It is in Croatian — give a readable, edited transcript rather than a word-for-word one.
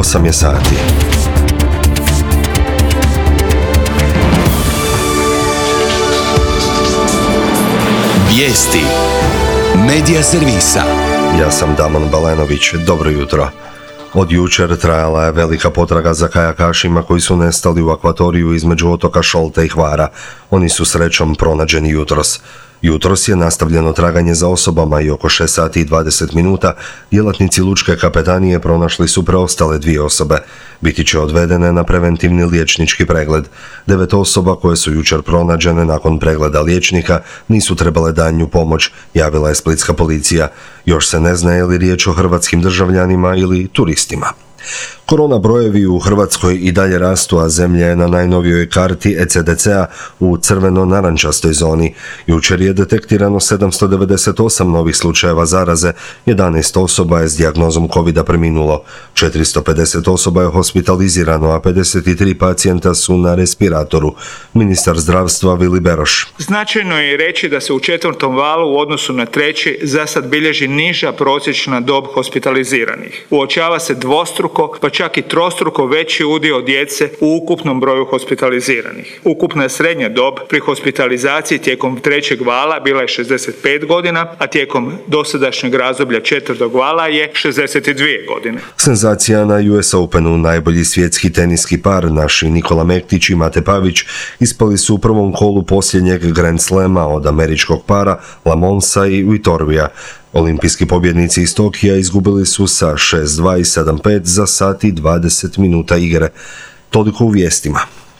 8 je sati. Vijesti Medija servisa. Ja sam Damon Balenović, dobro jutro. Od jučer trajala je velika potraga za kajakašima koji su nestali u akvatoriju između otoka Šolte i Hvara. Oni su srećom pronađeni jutros. Jutros je nastavljeno traganje za osobama i oko 6 sati i 20 minuta djelatnici lučke kapetanije pronašli su preostale 2 osobe. Biti će odvedene na preventivni liječnički pregled. 9 osoba koje su jučer pronađene nakon pregleda liječnika nisu trebale daljnju pomoć, javila je splitska policija. Još se ne zna je li riječ o hrvatskim državljanima ili turistima. Korona brojevi u Hrvatskoj i dalje rastu, a zemlja je na najnovijoj karti ECDC-a u crveno-narančastoj zoni. Jučer je detektirano 798 novih slučajeva zaraze, 11 osoba je s dijagnozom COVID-a preminulo, 450 osoba je hospitalizirano, a 53 pacijenta su na respiratoru. Ministar zdravstva Vili Beroš. Značajno je reći da se u 4. valu u odnosu na 3. za sad bilježi niža prosječna dob hospitaliziranih. Uočava se dvostruko, pa čak i trostruko veći udio djece u ukupnom broju hospitaliziranih. Ukupna srednja dob pri hospitalizaciji tijekom 3. vala bila je 65 godina, a tijekom dosadašnjeg razdoblja 4. vala je 62 godine. Senzacija na US Openu, najbolji svjetski teniski par, naši Nikola Mektić i Mate Pavić, ispali su u prvom kolu posljednjeg Grand Slema od američkog para Lamonsa i Vitorbija. Olimpijski pobjednici iz Tokija izgubili su sa 6-2 i 7-5 za sat i 20 minuta igre. Toliko u vijestima.